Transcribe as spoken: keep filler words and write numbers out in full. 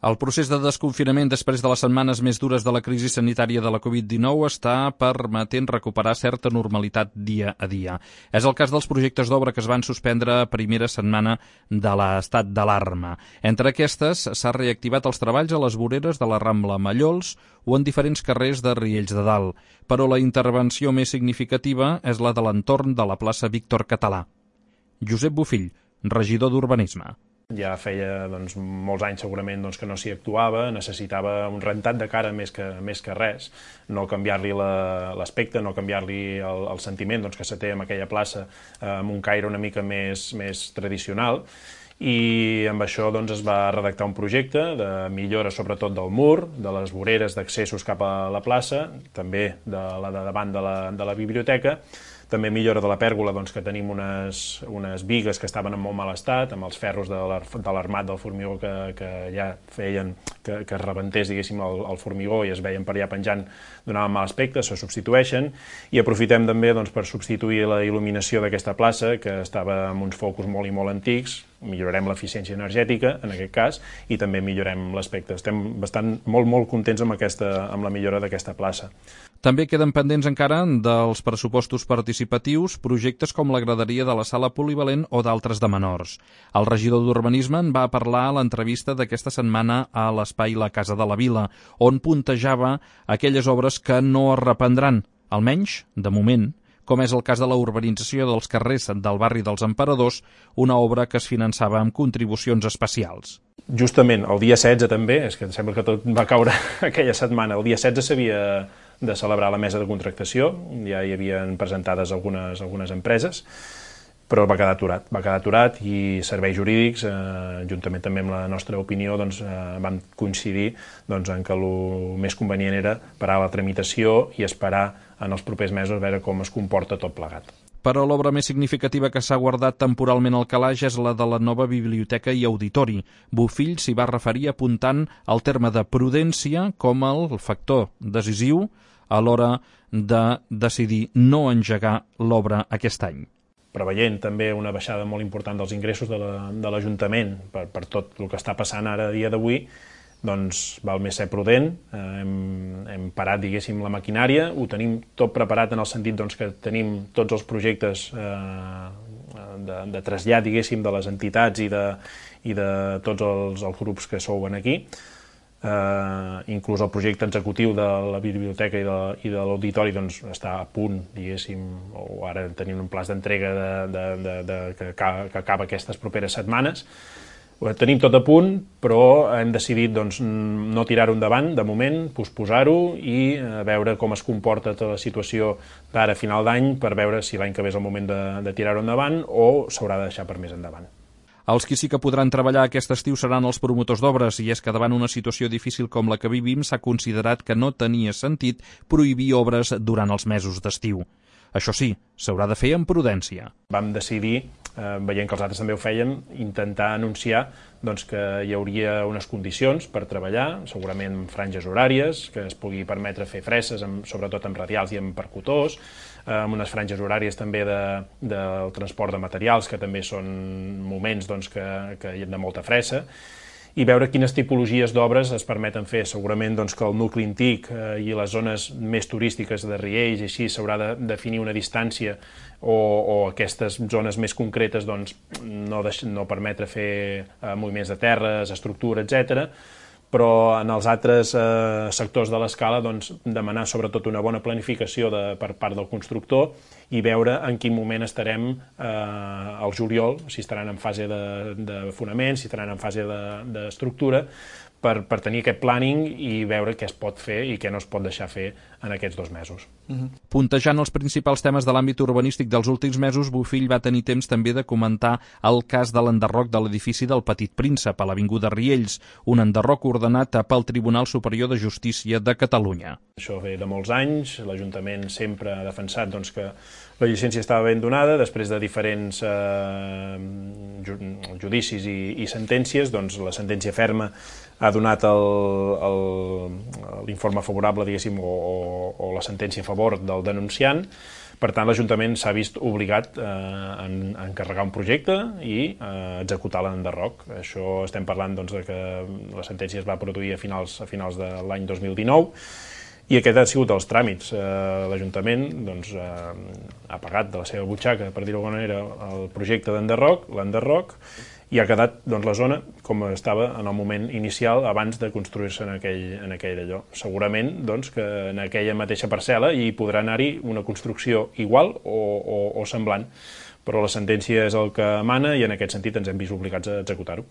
El procés de desconfinament després de les setmanes més dures de la crisi sanitària de la covid dinou està permetent recuperar certa normalitat dia a dia. És el cas dels projectes d'obra que es van suspendre a primera setmana de l'estat d'alarma. Entre aquestes, s'ha reactivat els treballs a les voreres de la Rambla Mallols o en diferents carrers de Riells de Dalt. Però la intervenció més significativa és la de l'entorn de la plaça Víctor Català. Josep Bofill, regidor d'Urbanisme. Ja feia doncs, molts anys segurament doncs, que no s'hi actuava, necessitava un rentat de cara més que, més que res, no canviar-li l'aspecte, no canviar-li el, el sentiment doncs, que se té en aquella plaça eh, amb un caire una mica més, més tradicional, i amb això doncs, es va redactar un projecte de millora sobretot del mur, de les voreres d'accessos cap a la plaça, també de la de davant de la, de la biblioteca, també millora de la pèrgola, doncs, que tenim unes, unes bigues que estaven en molt mal estat, amb els ferros de l'armat del formigó que, que ja feien que, que es rebentés, diguéssim, el, el formigó i es veien per allà penjant, donaven mal aspecte, se substitueixen, i aprofitem també doncs, per substituir la il·luminació d'aquesta plaça, que estava amb uns focus molt i molt antics, millorarem l'eficiència energètica, en aquest cas, i també millorem l'aspecte. Estem bastant molt, molt contents amb, aquesta, amb la millora d'aquesta plaça. També queden pendents encara dels pressupostos participatius projectes com la graderia de la sala polivalent o d'altres de menors. El regidor d'Urbanisme en va parlar a l'entrevista d'aquesta setmana a l'espai La Casa de la Vila, on puntejava aquelles obres que no es reprendran, almenys, de moment, com és el cas de la urbanització dels carrers del barri dels Emperadors, una obra que es finançava amb contribucions especials. Justament, el dia setze també, és que sembla que tot va caure aquella setmana, el dia setze s'havia de celebrar la mesa de contractació, ja hi havien presentades algunes, algunes empreses, però va quedar aturat, va quedar aturat i serveis jurídics, eh, juntament també amb la nostra opinió, doncs, eh, vam coincidir doncs, en que el més convenient era parar la tramitació i esperar en els propers mesos a veure com es comporta tot plegat. Però l'obra més significativa que s'ha guardat temporalment al calaix és la de la nova biblioteca i auditori. Bofill s'hi va referir apuntant el terme de prudència com el factor decisiu a l'hora de decidir no engegar l'obra aquest any. Preveient també una baixada molt important dels ingressos de l'Ajuntament per, per tot el que està passant ara a dia d'avui, doncs val més ser prudent, eh, hem, hem parat, diguéssim, la maquinària, ho tenim tot preparat en el sentit doncs, que tenim tots els projectes eh, de, de trasllat, diguéssim, de les entitats i de, i de tots els, els grups que sou aquí, eh, inclús el projecte executiu de la biblioteca i de, i de l'auditori doncs, està a punt, diguéssim, o ara tenim un pla d'entrega de, de, de, de, que, que acaba aquestes properes setmanes. Ho tenim tot a punt, però hem decidit doncs, no tirar-ho endavant, de moment, posposar-ho i veure com es comporta tota la situació d'ara a final d'any per veure si l'any que ve és el moment de, de tirar-ho endavant o s'haurà de deixar per més endavant. Els qui sí que podran treballar aquest estiu seran els promotors d'obres, i és que davant una situació difícil com la que vivim s'ha considerat que no tenia sentit prohibir obres durant els mesos d'estiu. Això sí, s'haurà de fer amb prudència. Vam decidir, eh, veient que els altres també ho feien, intentar anunciar doncs, que hi hauria unes condicions per treballar, segurament amb franges horàries, que es pugui permetre fer fresses, amb, sobretot amb radials i amb percutors, eh, amb unes franges horàries també de, del transport de materials, que també són moments doncs, que, que hi ha de molta fressa, i veure quines tipologies d'obres es permeten fer. Segurament doncs, que el nucli antic eh, i les zones més turístiques de Riells i així s'haurà de definir una distància o, o aquestes zones més concretes doncs, no, deix, no permetre fer eh, moviments de terres, estructura, etcètera. Però en els altres eh, sectors de l'escala doncs, demanar sobretot una bona planificació de, per part del constructor i veure en quin moment estarem eh, al juliol, si estaran en fase de, de fonament, si estaran en fase d'estructura, de, per, per tenir aquest planning i veure què es pot fer i què no es pot deixar fer en aquests dos mesos. Uh-huh. Puntejant els principals temes de l'àmbit urbanístic dels últims mesos, Bofill va tenir temps també de comentar el cas de l'enderroc de l'edifici del Petit Príncep a l'avinguda Riells, un enderroc ordenat pel Tribunal Superior de Justícia de Catalunya. Això ve de molts anys, l'Ajuntament sempre ha defensat doncs, que la llicència estava ben donada, després de diferents eh, judicis i, i sentències, doncs la sentència ferma ha donat l'informe favorable, diguéssim, o, o la sentència a favor del denunciant, Per tant, l'Ajuntament s'ha vist obligat eh, a encarregar un projecte i eh, executar l'enderroc. Això estem parlant doncs, de que la sentència es va produir a finals, a finals de l'any dos mil dinou i aquest han sigut els tràmits. Eh, L'Ajuntament doncs, eh, ha pagat de la seva butxaca, per dir-ho d'alguna manera, el projecte d'enderroc, l'enderroc, i ha quedat doncs, la zona com estava en el moment inicial abans de construir-se en aquell, en aquell allò. Segurament doncs, que en aquella mateixa parcel·la hi podrà anar-hi una construcció igual o, o, o semblant, però la sentència és el que mana i en aquest sentit ens hem vist obligats a executar-ho.